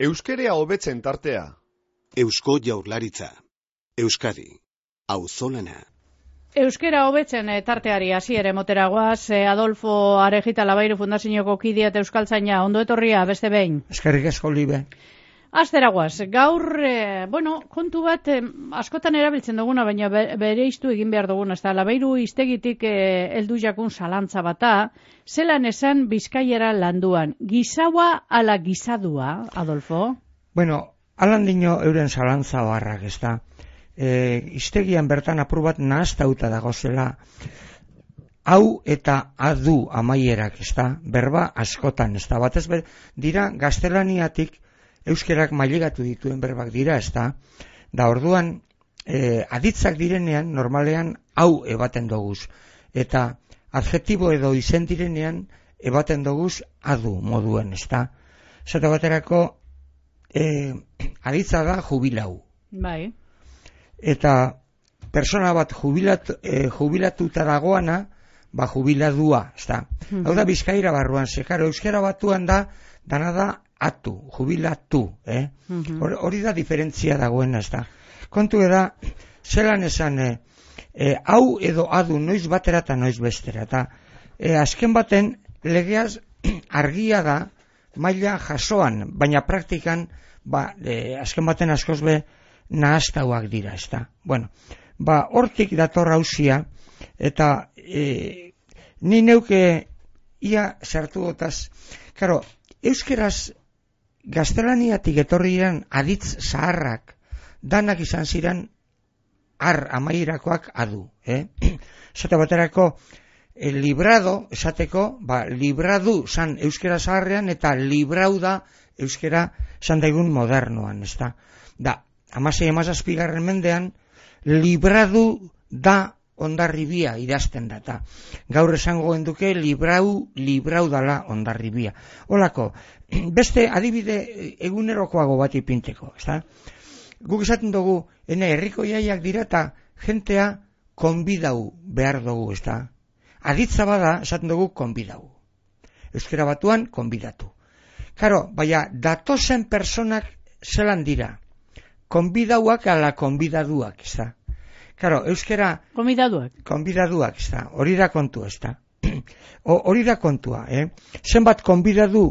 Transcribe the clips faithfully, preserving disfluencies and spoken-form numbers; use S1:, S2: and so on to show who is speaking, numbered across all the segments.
S1: Euskerea hobetzen tartea.
S2: Eusko Jaurlaritza. Euskadi. Auzolana.
S3: Euskera hobetzen e, tarteari hasiere moteragoaz, e, Adolfo Arejita Labairu Fundazioko kidea eta euskaltzaina, ondo etorria beste behin.
S4: Eskerrik asko libe.
S3: Asteragoaz, gaur, e, bueno, kontu bat e, askotan erabiltzen duguna, baina be, bere iztu egin behar duguna, ez da, Labairu iztegitik e, heldu jakun zalantza bata, zelan esan Bizkaiera landuan, gizaua ala gizadua, Adolfo?
S4: Bueno, alan dino euren zalantza barrak, ez da. E, iztegian bertan apur bat nahaztauta dagozela, hau eta adu amaierak, ez da, berba askotan, ez da, batez be, dira gaztelaniatik euskerak mailegatu dituen berbak dira, ez da, da orduan e, aditzak direnean normalean hau ebaten doguz, eta adjetibo edo izen direnean ebaten doguz adu moduen, ez da. Zata baterako e, aditza da jubilau.
S3: Bai.
S4: Eta persona bat jubilatu, e, jubilatuta dagoana, ba jubiladua, ez da. Mm-hmm. Hau da Bizkaira barruan, zekaro, euskera batuan da, dana da atu, jubilatu, eh? Mm-hmm. Hori da diferentzia dagoena, ez da. Kontu da, zelan esan, e, e, hau edo adu noiz batera eta noiz bestera, eta e, azken baten legeaz argia da, maila jasoan, baina praktikan, ba, e, azken baten askoz be, nahaztauak dira, ez da. Bueno, ba, hortik dator hauzia, eta e, ni neuke ia sartu gotaz, karo, euskeraz gaztelaniatik etorri diren aditz zaharrak, danak izan ziren ar amairakoak adu, eh? Esate baterako, e, librado, esateko, ba, libradu zan euskera zaharrean, eta librau da euskera zan daigun modernoan, ez da. Da, amasei amazazpigarren mendean, libradu da Hondarribia idazten data. Gaur esango genduke librau, librau dala Hondarribia. Holako, beste adibide egunerokoago bat ipinteko, ezta? Guk esaten dugu, ene herriko jaiak dira eta jentea konbidau behar dugu, ezta? Aditza bada, esaten dugu konbidau. Euskera batuan, konbidatu. Karo, baina datozen personak zelan dira. Konbidauak ala konbidaduak, ez da. Claro, euskera...
S3: Konbidaduak.
S4: Konbidaduak, ez da. Hori da kontua, ez da. Hori da kontua, eh? Zenbat konbidadu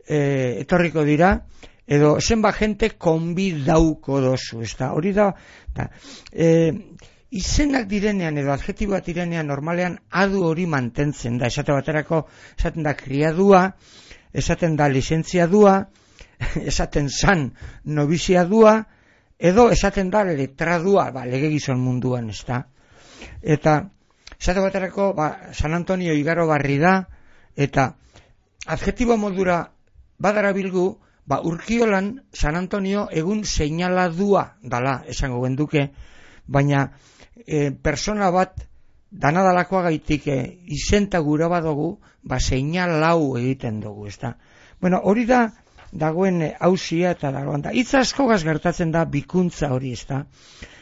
S4: eh, etorriko dira, edo zenbat jente konbidauko dozu, ez da. Hori da, da. Eh, izenak direnean edo adjetiboak direnean normalean adu hori mantentzen da. Esate baterako, esaten da kriadua, esaten da lizentziadua, esaten zan nobiziadua, edo esaten da letradua, ba, legegizon munduan, ez da. Eta, esate baterako, ba, San Antonio igaro barri da, eta adjetibo modura badara bilgu, ba, Urkiolan San Antonio egun seinaladua dala, esango genduke, baina e, persona bat danadalakoa gaitik e, izenta gura badugu, ba, seinalau egiten dugu, ez da. Bueno, hori da, dagoen hausia eta dagoen da. Itz askogaz gertatzen da bikuntza hori, ez da.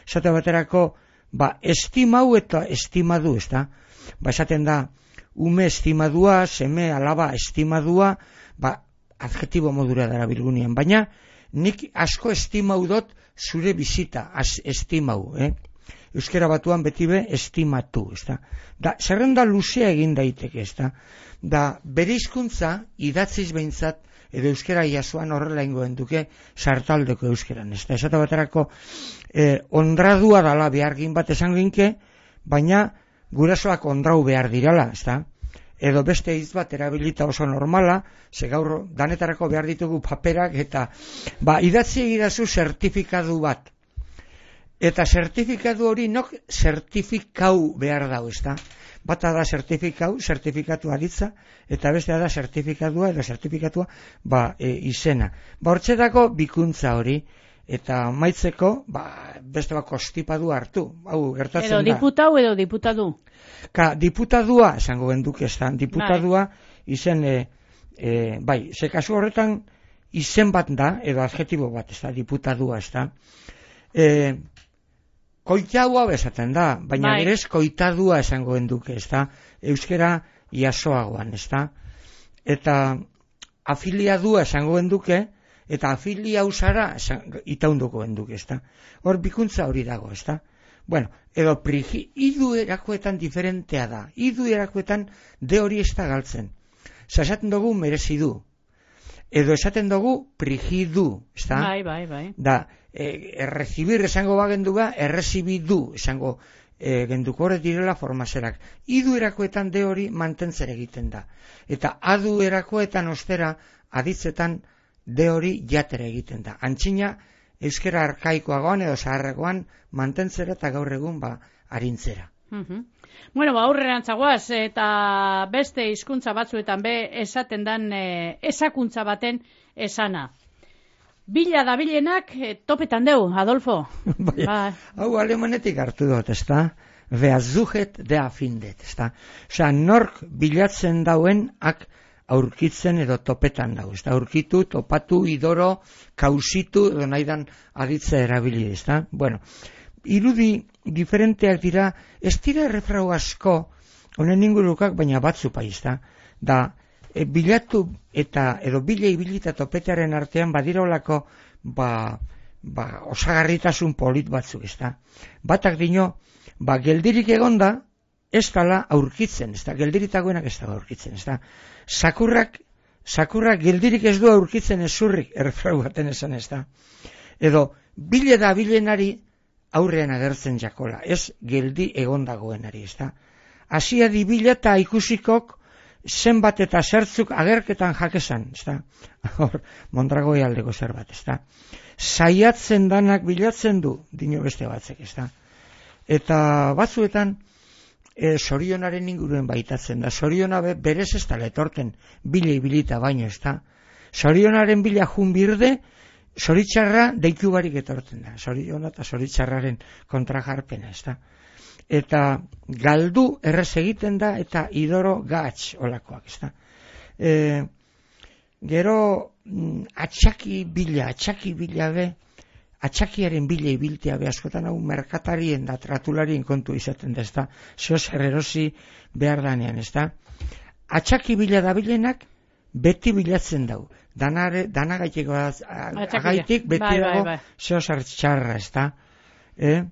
S4: Esate baterako, ba, estimau eta estimadu, ez da. Ba, esaten da, ume estimadua, seme alaba estimadua, ba, adjetibo modura dara bilgunien. Baina, nik asko estimau dot zure bizita, az estimau, eh? Euskera batuan beti be estimatu, ez da. Da, zerrenda luzea egin daiteke, ez da. Da, bere hizkuntza idatziz behintzat, edo euskera jasoan horrela ingoen duke sartaldeko euskeran, ez da. Esate baterako eh, ondradua dala behargin bat esan ginke, baina gurasoak ondrau behar dirala, ez da. Edo beste hitz bat erabilita oso normala, ze gaur danetarako behar ditugu paperak, eta ba, idatzi egidazu zertifikadu bat. Eta zertifikatu hori nok zertifikau behar dau, ez da. Bata da zertifikau, zertifikatu aditza, eta bestea da zertifikatua edo zertifikatua ba, e, izena. Ba, hortzetako bikuntza hori, eta maitzeko, ba, beste bako stipadu hartu. Hau, gertatzen
S3: edo
S4: da.
S3: Edo diputau edo diputadu.
S4: Ka, diputadua, esango genduk ez da, diputadua izen, e, e, bai, ze kasu horretan izen bat da, edo adjetibo bat, ez da, diputadua, ez da. E, Koitaua bezaten da, baina
S3: bai.
S4: Berez koitadua esango genduke, ez da, euskera jasoagoan, ez da. Eta afiliadua esango genduke, eta afilia usara itaunduko enduk, ezta. Hor bikuntza hori dago, ezta. Bueno, edo prigi, idu erakoetan diferentea da. Idu erakoetan de hori ez da galtzen. Esaten dugu merezi du. Edo esaten dugu prigidu, ezta?
S3: Bai, bai, bai.
S4: Da, e, errecibir esango bagendu ba, errezibidu esango e, genduko horret direla formazerak. Idu erakoetan de hori mantentzen egiten da. Eta adu erakoetan ostera, aditzetan de hori jatere egiten da. Antzina, euskera arkaikoagoan edo zaharrekoan mantentzera eta gaur egun ba arintzera.
S3: Uh-huh. Bueno, ba, aurrerantzagoaz eta beste hizkuntza batzuetan be esaten dan e, esakuntza baten esana. Bila dabilenak e, topetan deu, Adolfo.
S4: Bai, ba. Hau alemanetik hartu dut, ezta? Wer sucht, der findet, ezta? Osea, nork bilatzen dauen ak aurkitzen edo topetan dago, ezta? Aurkitu, topatu, idoro, kausitu, edo nahidan aditza erabili, ezta? Bueno, irudi diferenteak dira, ez dira errefrau asko, honen ingurukak, baina batzu paizta, da, e, bilatu eta, edo bile ibilita topetearen artean, badirolako, ba, ba, osagarritasun polit batzuk, ezta? Batak dino, ba, geldirik egonda, ez dala aurkitzen, ezta? Geldiritagoenak ez da aurkitzen, ezta? Sakurrak, sakurrak geldirik ez du aurkitzen ezurrik, errefrau baten esan, ezta? Edo, bile da bilenari, aurrean agertzen jakola, ez geldi egondagoenari, ezta? Hasia dibila eta ikusikok zenbat eta zertzuk agerketan jakesan, ezta? Hor, Mondragoi aldeko zerbait, ezta? Saiatzen danak bilatzen du, dino beste batzek, ezta? Eta batzuetan, e, sorionaren inguruen baitatzen da, soriona be, berez ez da letorten bile ibilita baino, ezta? Sorionaren bila junbirde, zoritxarra deitu barik etortzen da, zoriona eta zoritxarraren kontrajarpena, ezta? Eta galdu errez egiten da, eta idoro gatz olakoak, ezta? E, gero, atxaki bila, atxaki bila be, atxakiaren bila ibiltea be, askotan hau merkatarien da, tratularien kontu izaten da, ezta? Zeo zer erosi behar danean, ezta? Atxaki bila da bilenak, beti bilatzen dau. Danare, danagaiteko agaitik beti bai, dago bai, bai. Zeo zartxarra, ezta? Eh?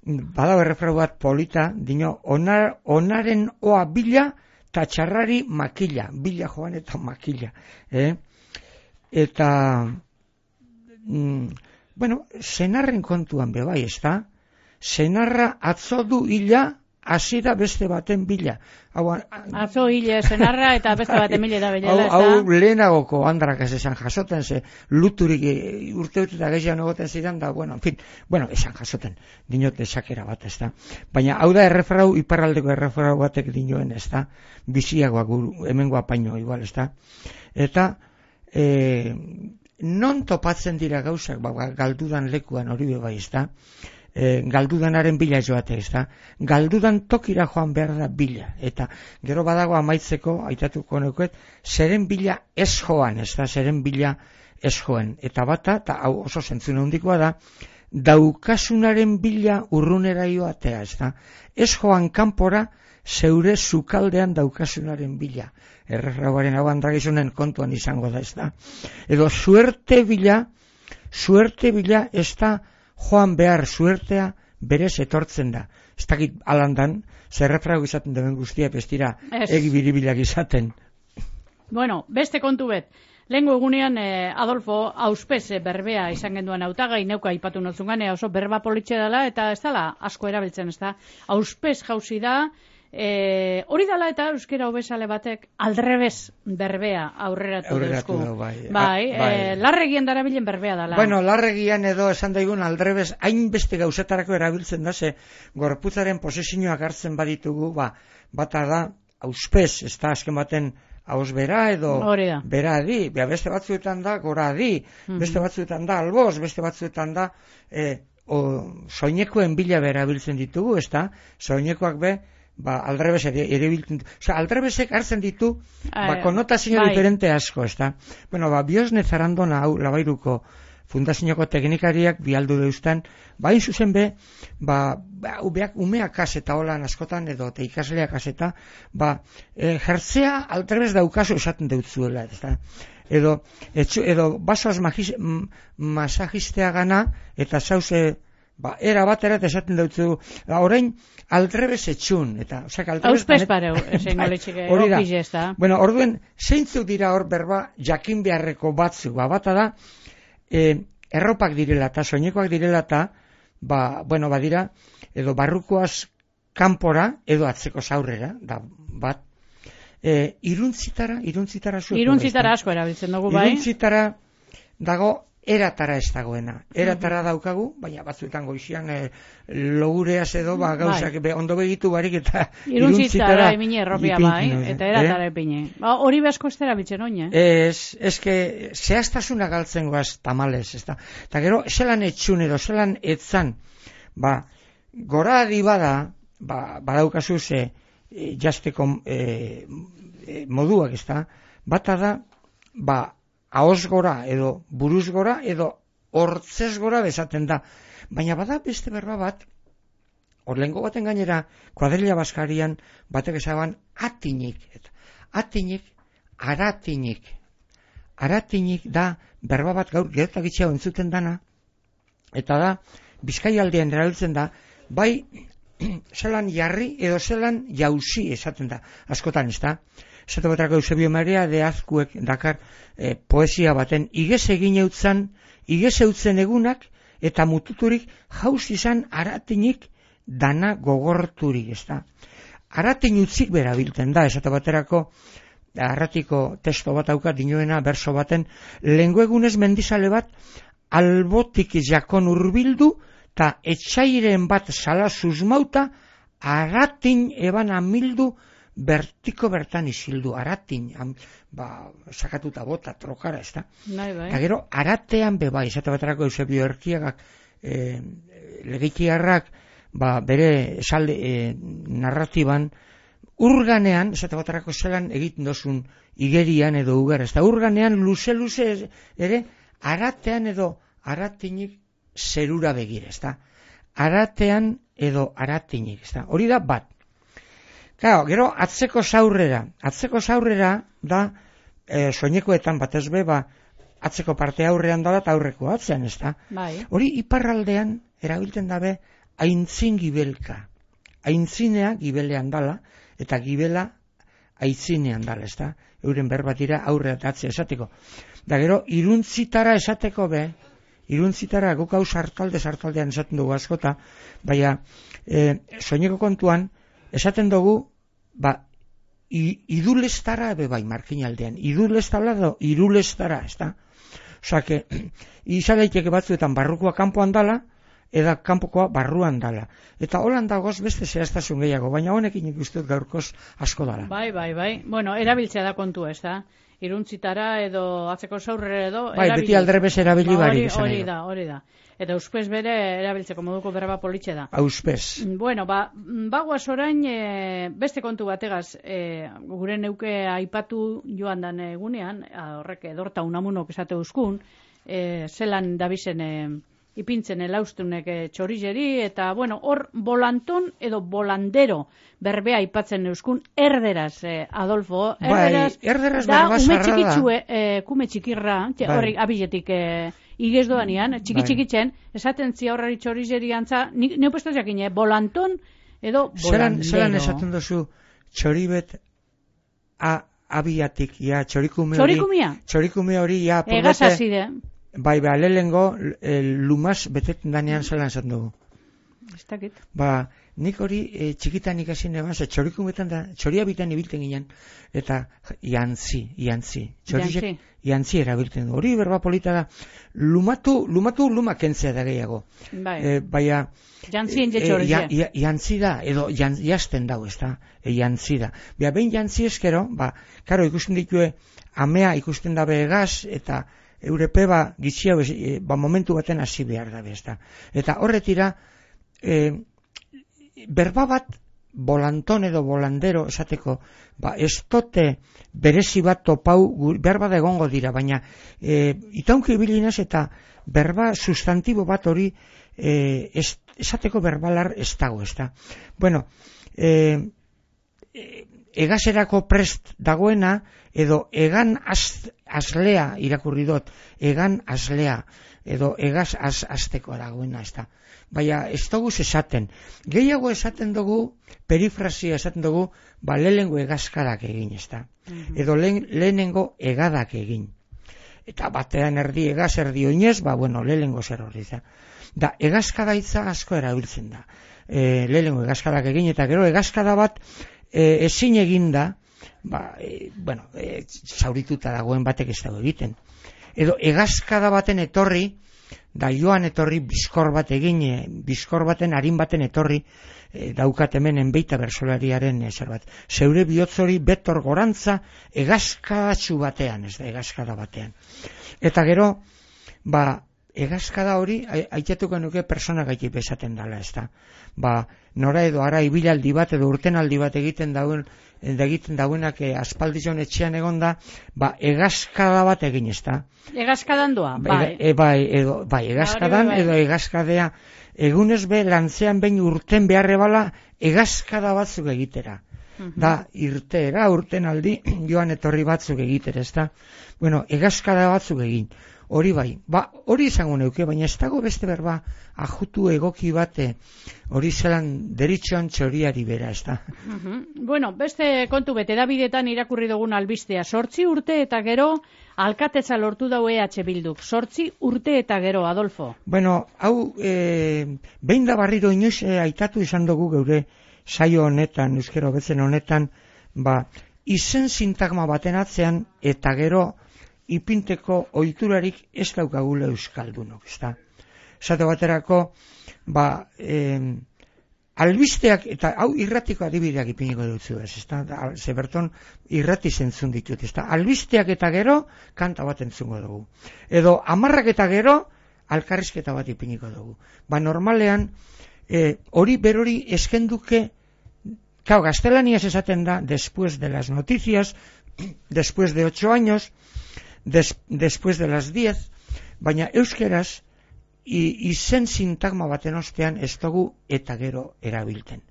S4: Bada berrefrau bat polita, dino, onar, onaren oa bila eta txarrari makila. Bila joan eta makila. Eh? Eta, mm, bueno, senarren kontuan bebai, ezta? Senarra atzo du hila, hasi da beste baten bila. Hau,
S3: atzo hile senarra eta beste baten bila da bilela.
S4: Hau, hau lehenagoko andrak ez esan jasoten, ze luturik urteut eta gehiago egoten zidan, da, bueno, en fin, bueno, esan jasoten, dinote sakera bat, ez da. Baina, hau da errefrau, iparraldeko errefrau batek dinoen, ez da, biziagoak, hemengoa paino, igual, ez da. Eta, e, non topatzen dira gauzak, ba, galdudan lekuan hori bebai, ez da. E, galdudanaren bila joate, ez da. Galdudan tokira joan behar da bila. Eta gero badago amaitzeko, aitatuko neuket, zeren bila ez joan, ez da, zeren bila ez joan. Eta bata, eta hau oso zentzune handikoa da, daukasunaren bila urrunera joatea, ez da. Ez joan kanpora, zeure sukaldean daukasunaren bila. Errefrauaren hau andragizunen kontuan izango da, ez da. Edo suerte bila, suerte bila ez da, joan behar suertea berez etortzen da. Ez dakit alandan, zerrefrago izaten duen guztia, bestira egi biribilak izaten.
S3: Bueno, beste kontu bet. Lehengo egunean, eh, Adolfo, auspez berbea izan genduan hautagai, neuka ipatu notzungan, oso berba politxe dela, eta ez dela asko erabiltzen, ez da. Auspez jauzi da, E, hori dala eta euskera hobesale batek aldrebez berbea aurreratu deusku.
S4: Bai,
S3: bai, bai. E, larregian darabilen berbea dala.
S4: Bueno, larregian edo esan daigun aldrebez hainbeste gauzetarako erabiltzen da, ze gorputzaren posizioak hartzen baditugu, ba, bata da, auspez, ez da azken baten hauz bera edo bera adi, Bea, beste batzuetan da gora adi, mm-hmm. beste batzuetan da alboz, beste batzuetan da e, o, soinekoen bila bera biltzen ditugu, ez da, soinekoak be, ba, aldrebes ere, ere biltzen, oza, aldrebesek hartzen ditu, ba, konotazio bai. Diferente asko, ez da. Bueno, ba, Biosne Zarandona hau, Labairuko fundazioko teknikariak bialdu deustan, ba, zuzen be, ba, ba ubeak, umeak kaseta holan askotan, edo, te ikasleak kaseta, ba, e, jertzea aldrebes daukazu esaten deutzuela, ez da. edo, etxu, edo basoaz magis, m, masajistea gana, eta zauze, ba, era batera eta esaten dutzu, orain aldrebes etxun, eta, osak, aldrebes...
S3: Auspes pareu, esen goletxike, okiz ez da.
S4: Bueno, orduen, zeintzuk dira hor berba jakin beharreko batzuk, ba, bata da, e, erropak direla eta soinekoak direla eta, ba, bueno, badira, edo barrukoaz kanpora, edo atzeko zaurrera, da, bat, e, iruntzitara, iruntzitara zueko.
S3: Iruntzitara asko erabiltzen dugu, bai?
S4: Iruntzitara dago, eratara ez dagoena. Eratara daukagu, baina batzuetan goizian e, logureaz edo, ba, gauzak be, ondo begitu barik eta
S3: iruntzitara emine erropia bai, eta eratara
S4: eh?
S3: epine. Ba, hori besko ez erabiltzen oin, eh?
S4: Ez, ez que, zehaztasuna galtzen goaz tamales, ez da. Eta gero, zelan etxun edo, zelan etzan, ba, gora adibada, ba, badaukazu ze, e, jazteko e, e, moduak, ez da, bata da, ba, ahoz gora, edo buruz gora, edo hortzez gora bezaten da. Baina bada beste berba bat, orlengo baten gainera, kuadrilla baskarian, batek esaban, atinik. Eta, atinik, aratinik. Aratinik da, berba bat gaur, gerotak itxea entzuten dana, eta da, Bizkaialdean erabiltzen da, bai, zelan jarri, edo zelan jauzi esaten da, askotan ez da. Esate batrako Eusebio Maria de Azkuek dakar e, poesia baten igez egin eutzan, igez eutzen egunak eta mututurik jauz izan aratinik dana gogorturik, ez da. Aratin utzik bera bilten da, esate baterako arratiko testo bat auka dinoena berso baten, lengo egunez mendizale bat albotik jakon urbildu eta etxairen bat sala susmauta aratin eban amildu bertiko bertan isildu, aratin, am, ba, sakatuta bota, trokara, ez da.
S3: Bai, bai.
S4: Eta gero, aratean beba, izate baterako Eusebio Erkiagak, e, legitiarrak, ba, bere esalde, e, narratiban, urganean, izate baterako zelan egiten dozun igerian edo ugar, ez da, urganean luze-luze ere, aratean edo aratinik zerura begire, ez da. Aratean edo aratinik, ez da. Hori da bat. Claro, gero atzeko zaurrera, atzeko zaurrera da e, soinekoetan batez be, ba, atzeko parte aurrean dala eta aurreko atzean, ez da?
S3: Bai.
S4: Hori iparraldean erabiltzen dabe aintzin gibelka. Aintzinea gibelean dala eta gibela aitzinean dala, ez da? Euren berbat dira aurre eta atzea esateko. Da gero iruntzitara esateko be, iruntzitara guk hau sartalde sartaldean esaten dugu askota, baina e, soineko kontuan esaten dugu, ba, idulestara ebe bai, markinaldean, idulestara edo irulestara, ez da? Osa, que, izaleiteke batzuetan barrukoa kanpoan dala, eda kanpokoa barruan dala. Eta holan dagoz beste zehaztasun gehiago, baina honekin ikustut gaurkoz asko dala.
S3: Bai, bai, bai. Bueno, erabiltzea da kontu, ez da? Iruntzitara edo atzeko zaurrera edo...
S4: Bai, erabil... beti aldrebes erabili
S3: ba,
S4: barik.
S3: Hori, hori da, hori da. Eta auspez bere erabiltzeko moduko berba politxe da.
S4: Auspez.
S3: Bueno, ba, bagoaz orain e, beste kontu bategaz, e, gure neuke aipatu joan dan egunean, horrek edorta unamunok esate uzkun, e, zelan dabizen e, ipintzen elaustunek e, txorizeri, eta, bueno, hor volanton edo volandero berbea aipatzen euskun, erderaz, eh, Adolfo, erderaz,
S4: bai, erderaz
S3: da,
S4: berba
S3: ume
S4: zarra
S3: txikitzu, eh, kume txikirra, bai. Horri abiletik eh, igez doanian, txiki-txikitzen, esaten zia horrari txorizeri antza, neupestaz jakin, eh, volanton edo volandero.
S4: Zeran esaten dozu txoribet a, abiatik, ja, txorikume hori,
S3: txorikumia?
S4: Txorikume hori, ja,
S3: Egaz azide.
S4: Bai, ba, lehengo, lumaz beteten danean zelan esaten dugu.
S3: Ez dakit.
S4: Ba, nik hori e, txikitan ikasin eban, ze txorikumetan da, txoria bitan ibilten ginen, eta jantzi, jantzi. Txorizek jantzi erabilten du. Hori berba polita da, lumatu, lumatu luma kentzea da gehiago. Bai. E, baina,
S3: jantzi ente txorizea.
S4: E, jantzi da, edo jan, jazten dau, ez da, e, jantzi da. Bia, behin jantzi eskero, ba, karo, ikusten ditue, amea ikusten dabe egaz, eta eurepe ba, gitxia, e, ba, momentu baten hasi behar dabe, ez da. Eta horretira, E, berba bat volanton edo volandero esateko, ba, ez tote berezi bat topau berba da egongo dira, baina e, itaunki bilinaz eta berba sustantibo bat hori e, es, esateko berbalar ez dago, ez da. Bueno, e, e, egaserako prest dagoena, edo egan az, azlea irakurri dut, egan azlea, edo egaz az, azteko dagoena, ez da. Baina ez dugu esaten. Gehiago esaten dugu, perifrasia esaten dugu, ba lehenengo egazkadak egin, ez da. Mm-hmm. Edo lehen, lehenengo egadak egin. Eta batean erdi egaz, erdi oinez, ba bueno, lehenengo zer hori da. Da, egazkada hitza asko erabiltzen da. E, lehenengo egazkadak egin, eta gero egazkada bat e, ezin egin da, ba, e, bueno, e, zaurituta dagoen batek ez dago egiten. Edo egazkada baten etorri, da joan etorri bizkor bat egin, e, bizkor baten harin baten etorri, e, daukat hemen enbeita bersolariaren e, zer bat. Zeure bihotzori betor gorantza egazkadatxu batean, ez da, egazkada batean. Eta gero, ba, egazkada hori, aitatuko nuke persona gaitik bezaten dala, ez da. Ba, nora edo ara ibilaldi bat edo urtenaldi bat egiten dauen, egiten dauenak e, aspaldizon etxean egonda, ba, egazkada bat egin, ez da.
S3: Egazkadan doa, bai.
S4: E, bai, edo, bai, egazkadan bai, bai. Edo egazkadea, egunez be, lantzean behin urten beharre bala, egazkada batzuk egitera. Uh-huh. Da, irteera, urtenaldi, joan etorri batzuk egitera, ez da. Bueno, egazkada batzuk egin. Hori bai, ba, hori izango neuke, baina ez dago beste berba ajutu egoki bate, hori zelan deritxoan txoriari bera, ez da.
S3: Uh-huh. Bueno, beste kontu bete, Davidetan irakurri dugun albistea, sortzi urte eta gero, alkatetza lortu dau E H Bilduk, sortzi urte eta gero, Adolfo.
S4: Bueno, hau, e, behin da barriro inoiz e, aitatu izan dugu geure saio honetan, euskero betzen honetan, ba, izen sintagma baten atzean, eta gero, ipinteko ohiturarik ez daukagula euskaldunok, ezta. Esate baterako, ba, eh, albisteak, eta hau irratiko adibideak ipiniko dutzu ez, ezta. Ze berton irrati zentzun ditut, ezta. Albisteak eta gero, kanta bat entzungo dugu. Edo, amarrak eta gero, alkarrizketa bat ipiniko dugu. Ba, normalean, eh, hori berori eskenduke, kau, gaztelaniaz esaten da, después de las noticias, después de ocho años, Des, después de las diez, baina euskeraz izen sintagma baten ostean ez dugu eta gero erabilten.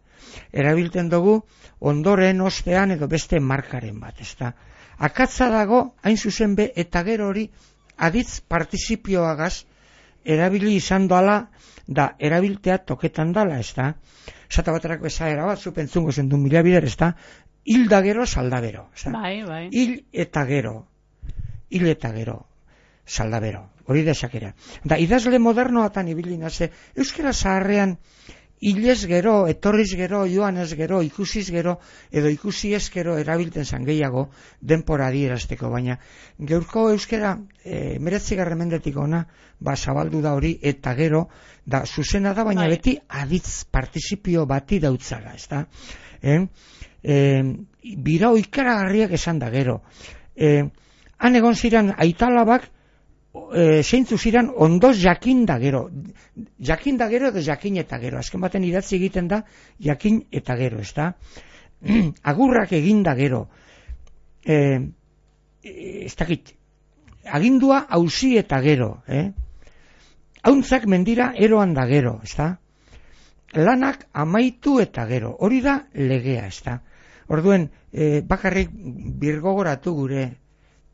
S4: Erabilten dugu ondoren ostean edo beste markaren bat, ezta. Akatza dago, hain zuzen be, eta gero hori aditz partizipioagaz erabili izan doala, da erabiltea toketan dala, ezta. Zata baterako ezaera bat, zupentzungo zen du mila bider, ezta. Hil da gero, salda bero, ezta.
S3: Bai, bai.
S4: Hil eta gero. Hil eta gero, saldabero, hori da esakera. Da, idazle modernoatan ibili naze, euskera zaharrean, hilez gero, etorriz gero, joanez gero, ikusiz gero, edo ikusi ez gero erabilten zan gehiago, denpora adierazteko, baina geurko euskera, e, meretzigarren mendetik ona, ba, zabaldu da hori, eta gero, da, zuzena da, baina bai. Beti aditz partizipio bati dautzala, ez da? Eh? E, bira oikaragarriak esan da gero. Eh, Han egon ziren aitalabak, e, zeintzu ziren ondoz jakin da gero. Jakin da gero edo jakin eta gero. Azken baten idatzi egiten da jakin eta gero, ez da? Agurrak egin da gero. E, ez dakit, agindua auzi eta gero. Eh? Hauntzak mendira eroan da gero, ez da? Lanak amaitu eta gero. Hori da legea, ez da? Orduen, e, bakarrik birgogoratu gure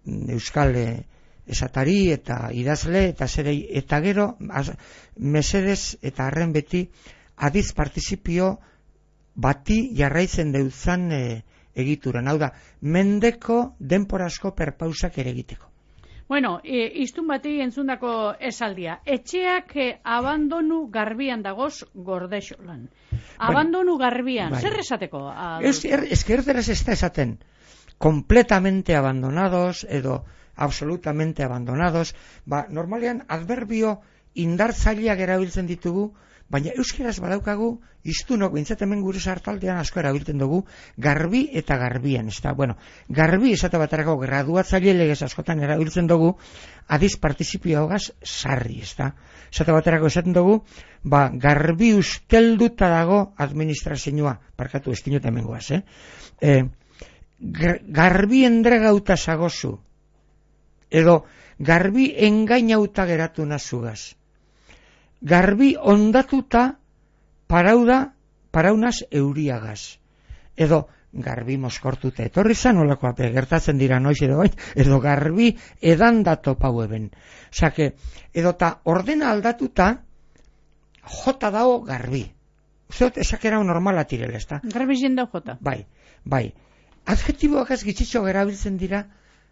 S4: euskal esatari eta idazle eta zerei, eta gero az, mesedez eta arren beti adiz partizipio bati jarraitzen deutzan e, egituran. Hau da, mendeko denporazko perpausak ere egiteko.
S3: Bueno, e, iztun bati entzundako esaldia. Etxeak e, abandonu garbian dagoz gordexolan. Abandonu bueno, garbian. Bai. Zer esateko?
S4: Ez, er, ez erderaz ez da esaten. Completamente abandonados edo absolutamente abandonados, ba, normalean adverbio indartzaileak erabiltzen ditugu, baina euskeraz badaukagu iztunok, bintzat hemen gure sartaldean asko erabiltzen dugu, garbi eta garbian, ez da, bueno, garbi esate baterako graduatzaile legez askotan erabiltzen dugu, adiz partizipioagaz sarri, ez da, esate baterako esaten dugu, ba, garbi ustelduta dago administrazioa, parkatu ez dinot hemen guaz, eh? eh garbi endregauta zagozu, edo garbi engainauta geratu nazugaz, garbi ondatuta parauda, paraunaz euriagaz, edo garbi moskortuta etorri zan, olakoa gertatzen dira noiz edo bain, edo garbi edan dato pau eben. Osake, edo ta ordena aldatuta, jota dago garbi. Usteot, esakera normala tirela, ez da?
S3: Garbi jendau jota.
S4: Bai, bai. Adjetiboak ez gitzitxo erabiltzen dira,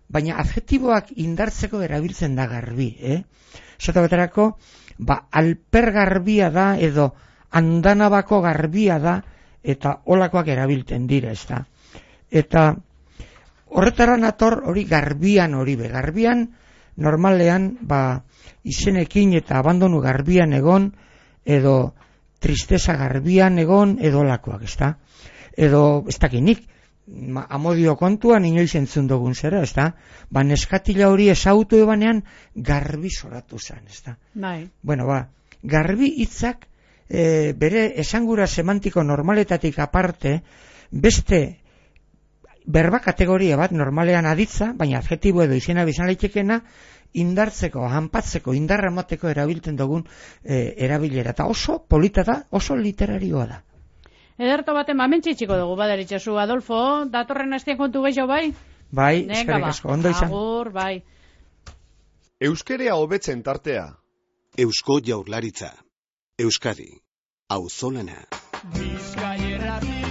S4: baina adjetiboak indartzeko erabiltzen da garbi, eh? Zota beterako, ba, alper garbia da, edo andanabako garbia da, eta olakoak erabiltzen dira, ez da. Eta horretara nator hori garbian hori be. Garbian, normalean, ba, izenekin eta abandonu garbian egon, edo tristeza garbian egon, edo olakoak, ez da. Edo, ez dakinik, amodio kontuan inoiz entzun dugun zera, ez da. Ba, neskatila hori ezautu ebanean garbi zoratu zen, ez da.
S3: Bai.
S4: Bueno, ba, garbi hitzak e, bere esangura semantiko normaletatik aparte, beste berba kategoria bat normalean aditza, baina adjetibo edo izena bizan leitekena, indartzeko, hanpatzeko, indarra emateko erabiltzen dugun e, erabilera. Eta oso polita da, oso literarioa da.
S3: Ederto baten mamentxitxiko dugu, badaritxasu, Adolfo, datorren hastean kontu gehiago bai?
S4: Bai,
S3: Nenga,
S4: eskerrik
S3: ba.
S4: asko, ondo izan.
S3: Agur, bai.
S1: Euskerea hobetzen tartea.
S2: Eusko Jaurlaritza. Euskadi. Auzolana.
S5: Bizkaia irratia.